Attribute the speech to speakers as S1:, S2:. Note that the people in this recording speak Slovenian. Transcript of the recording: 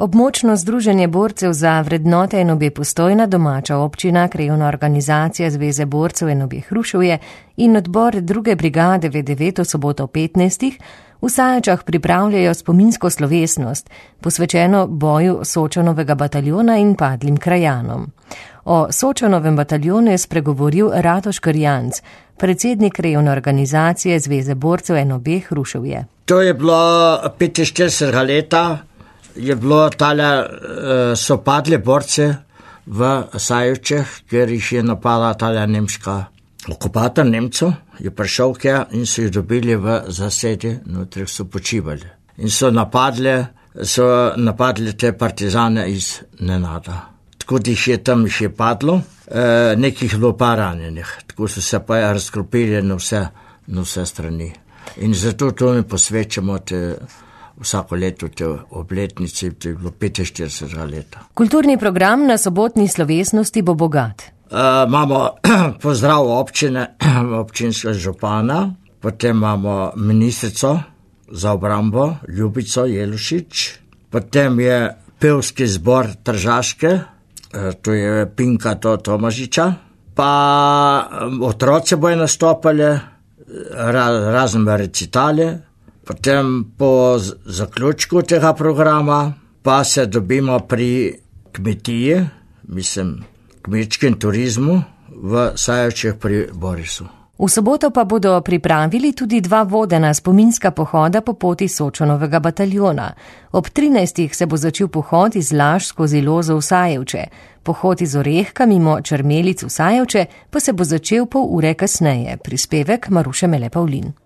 S1: Območno združenje borcev za vrednote NOB Postojna, domača občina, krajevna organizacija Zveze borcev NOB Hruševje in odbor 2. brigade V9 v soboto 15. v Sajočah pripravljajo spominsko slovesnost, posvečeno boju Sočanovega bataljona in padlim krajanom. O Sočanovem bataljonu je spregovoril Radoš Krjanc, predsednik krajevne organizacije Zveze borcev NOB Hruševje.
S2: To je bilo 45 leta. Je bilo so padli borce v Sajočeh, ker jih je napadla tale nemška okupator Nemcev, je prišel kja in so jih dobili v zasedi, notri so počivali. In so napadli te partizane iz nenada. Tako da jih je tam padlo, nekih bilo pa ranjenih, tako so se pa razkropili na vse strani. In zato to mi posvečamo vsako leto te obletnice, to je bilo 45 leta.
S1: Kulturni program na sobotni slovesnosti bo bogat.
S2: Imamo pozdrav občine, občinskega župana, potem imamo ministrico za obrambo Ljubico Jelušič, potem je pevski zbor Tržaške, to je Pinka Tomažiča, pa otroci bojo nastopali, razne recitale. Potem po zaključku tega programa pa se dobimo pri kmetiji, kmečkem turizmu v Sajočeh pri Borisu.
S1: V soboto pa bodo pripravili tudi 2 vodena spominska pohoda po poti Sočanovega bataljona. Ob 13. se bo začel pohod iz Laž skozi Lozo v Sajevče. Pohod iz Orehka mimo Črmelic v Sajevče pa se bo začel pol ure kasneje. Prispevek Maruše Mele Pavlin.